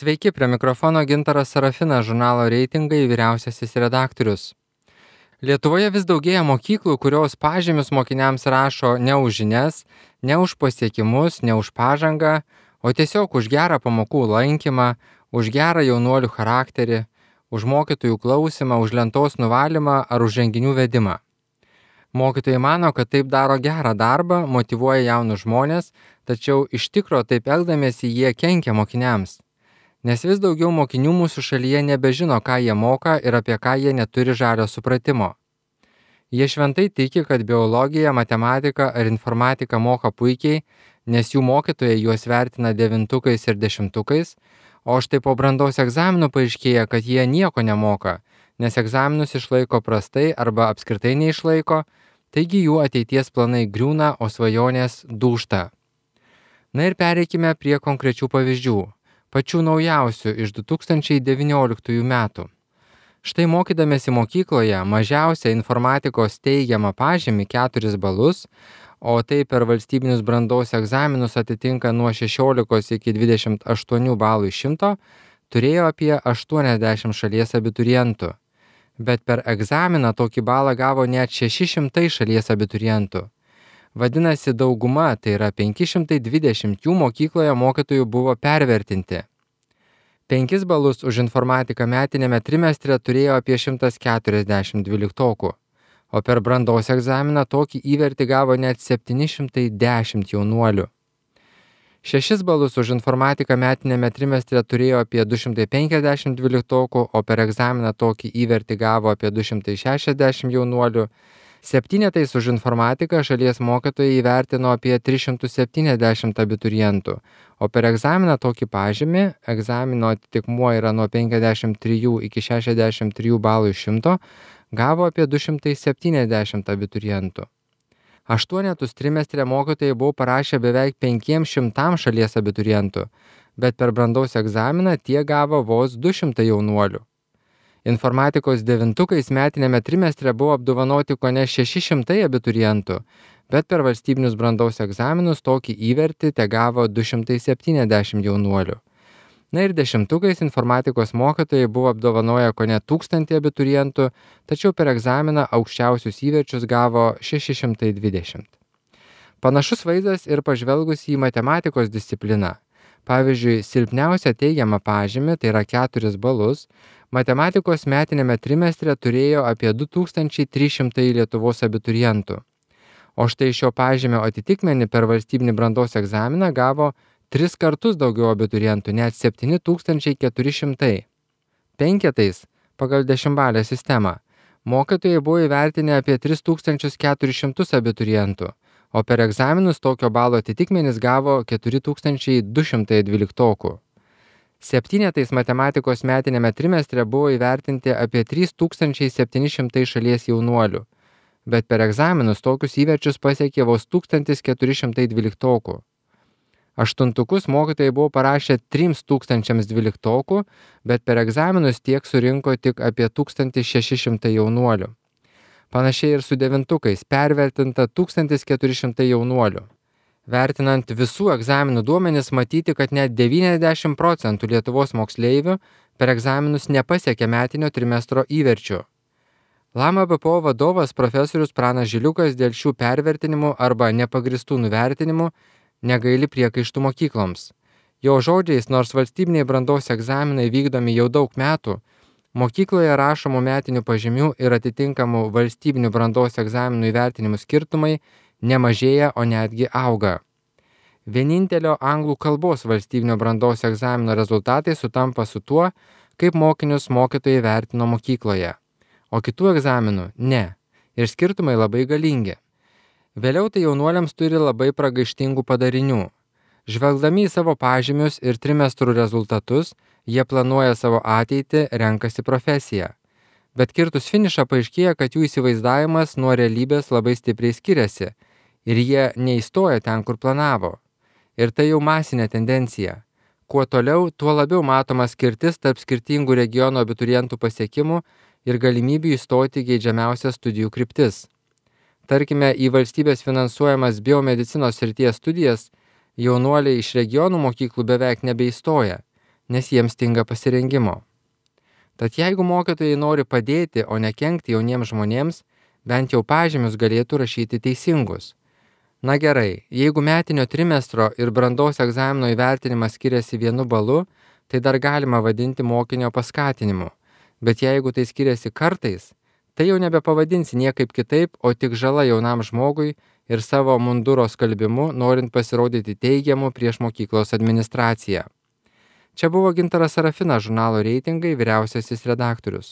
Sveiki, prie mikrofono Gintaras Sarafinas, žurnalo Reitingai vyriausiasis redaktorius. Lietuvoje vis daugėja mokyklų, kurios pažymius mokiniams rašo ne už žinias, ne už pasiekimus, ne už pažangą, o tiesiog už gerą pamokų lankymą, už gerą jaunuolių charakterį, už mokytojų klausimą, už lentos nuvalymą ar už renginių vedimą. Mokytojai mano, kad taip daro gerą darbą, motyvuoja jaunus žmonės, tačiau iš tikro taip elgdamiesi jie kenkia mokiniams. Nes vis daugiau mokinių mūsų šalyje nebežino, ką jie moka ir apie ką jie neturi žalio supratimo. Jie šventai tiki, kad biologiją, matematiką ar informatiką moka puikiai, nes jų mokytojai juos vertina 9 ir 10, o štai po brandos egzaminų paaiškėja, kad jie nieko nemoka, nes egzaminus išlaiko prastai arba apskritai neišlaiko, taigi jų ateities planai griūna, o svajonės dūžta. Na ir pereikime prie konkrečių pavyzdžių. Pačių naujausių iš 2019 metų. Štai mokydamėsi mokykloje mažiausia informatikos teigiamą pažymį 4 balus, o tai per valstybinius brandos egzaminus atitinka nuo 16 iki 28 balų iš 100, turėjo apie 80 šalies abiturientų. Bet per egzaminą tokį balą gavo net 600 šalies abiturientų. Vadinasi, dauguma, tai yra 520 jų mokykloje mokytojų buvo pervertinti. 5 balus už informatiką metinėme trimestre turėjo apie 140 dvyliktokų, o per brandos egzaminą tokį įvertį gavo net 710 jaunuolių. 6 balus už informatiką metinėme trimestre turėjo apie 250 dvyliktokų, o per egzaminą tokį įvertį gavo apie 260 jaunuolių. 7 už informatiką šalies mokytojai įvertino apie 370 abiturientų, o per egzaminą tokį pažymį, egzamino atitikmuo yra nuo 53 iki 63 balų iš 100, gavo apie 270 abiturientų. 8 trimestre mokytojai buvo parašę beveik 500 šalies abiturientų, bet per brandos egzaminą tie gavo vos 200 jaunuolių. Informatikos 9 metinėme trimestre buvo apdovanoti kone 600 abiturientų, bet per valstybinius brandos egzaminus tokį įvertį tegavo 270 jaunuolių. Na ir 10 informatikos mokytojai buvo apdovanoję kone 1000 abiturientų, tačiau per egzaminą aukščiausius įverčius gavo 620. Panašus vaizdas ir pažvelgus į matematikos discipliną. Pavyzdžiui, silpniausia teigiamą pažymį, tai yra 4 balus, matematikos metinėme trimestre turėjo apie 2300 Lietuvos abiturientų. O štai šio pažymio atitikmenį per valstybinį brandos egzaminą gavo 3 kartus daugiau abiturientų, net 7400. 5 pagal 10-balę sistemą mokytojai buvo įvertinę apie 3400 abiturientų, o per egzaminus tokio balo atitikmenis gavo 4200 dvyliktokų. 7 matematikos metinėme trimestre buvo įvertinti apie 3700 šalies jaunuolių, bet per egzaminus tokius įverčius pasiekė vos 1400 dvyliktokų. 8 mokytojai buvo parašę 3000 dvyliktokų, bet per egzaminus tiek surinko tik apie 1600 jaunuolių. Panašiai ir su 9 pervertinta 1400 jaunuolių. Vertinant visų egzaminų duomenis, matyti, kad net 90% Lietuvos moksleivių per egzaminus nepasiekė metinio trimestro įverčių. Lama BPO vadovas profesorius Pranas Žiliukas dėl šių pervertinimų arba nepagristų nuvertinimų negaili priekaištų mokykloms. Jo žodžiais, nors valstybiniai brandos egzaminai vykdomi jau daug metų, mokykloje rašomų metinių pažymių ir atitinkamų valstybinių brandos egzaminų įvertinimų skirtumai nemažėja, o netgi auga. Vienintelio anglų kalbos valstybinio brandos egzamino rezultatai sutampa su tuo, kaip mokinius mokytojai vertino mokykloje, o kitų egzaminų ne, ir skirtumai labai galingi. Vėliau tai jaunuoliams turi labai pragaištingų padarinių. Žvelgdami į savo pažymius ir trimestrų rezultatus, jie planuoja savo ateitį, renkasi profesiją. Bet kirtus finišą paaiškėja, kad jų įsivaizdavimas nuo realybės labai stipriai skiriasi ir jie neįstoja ten, kur planavo. Ir tai jau masinė tendencija. Kuo toliau, tuo labiau matoma skirtis tarp skirtingų regionų abiturientų pasiekimų ir galimybių įstoti geidžiamiausias studijų kryptis. Tarkime, į valstybės finansuojamas biomedicinos srities studijas jaunuoliai iš regionų mokyklų beveik nebeįstoja, nes jiems stinga pasirengimo. Tad jeigu mokytojai nori padėti, o ne kenkti jauniems žmonėms, bent jau pažymius galėtų rašyti teisingus. Na gerai, jeigu metinio trimestro ir brandos egzamino įvertinimas skiriasi 1 balu, tai dar galima vadinti mokinio paskatinimu. Bet jeigu tai skiriasi kartais, tai jau nebepavadinsi niekaip kitaip, o tik žala jaunam žmogui ir savo munduro skalbimu, norint pasirodyti teigiamu prieš mokyklos administraciją. Čia buvo Gintaras Sarafinas, žurnalo Reitingai vyriausiasis redaktorius.